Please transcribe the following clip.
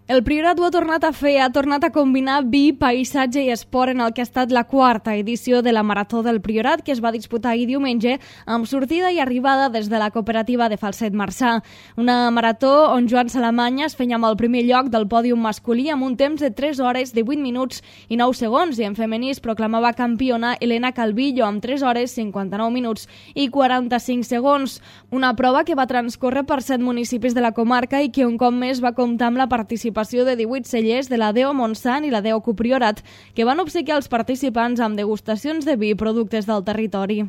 El Priorat ho ha tornat a fer, ha tornat a combinar vi, paisatge i esport en el que ha estat la quarta edició de la Marató del Priorat, que es va disputar ahir diumenge amb sortida i arribada des de la cooperativa de Falset Marçà. Una marató on Joan Salamanya es feia amb el primer lloc del pòdium masculí amb un temps de 3 hores, 18 minuts i 9 segons, i en femení es proclamava campiona Elena Calvillo amb 3 hores, 59 minuts i 45 segons. Una prova que va transcórrer per 7 municipis de la comarca i que un cop més va comptar amb la participació de 18 cellers de la DEO Montsant i la DEO Copriorat, que van obsequiar els participants amb degustacions de vi i productes del territori.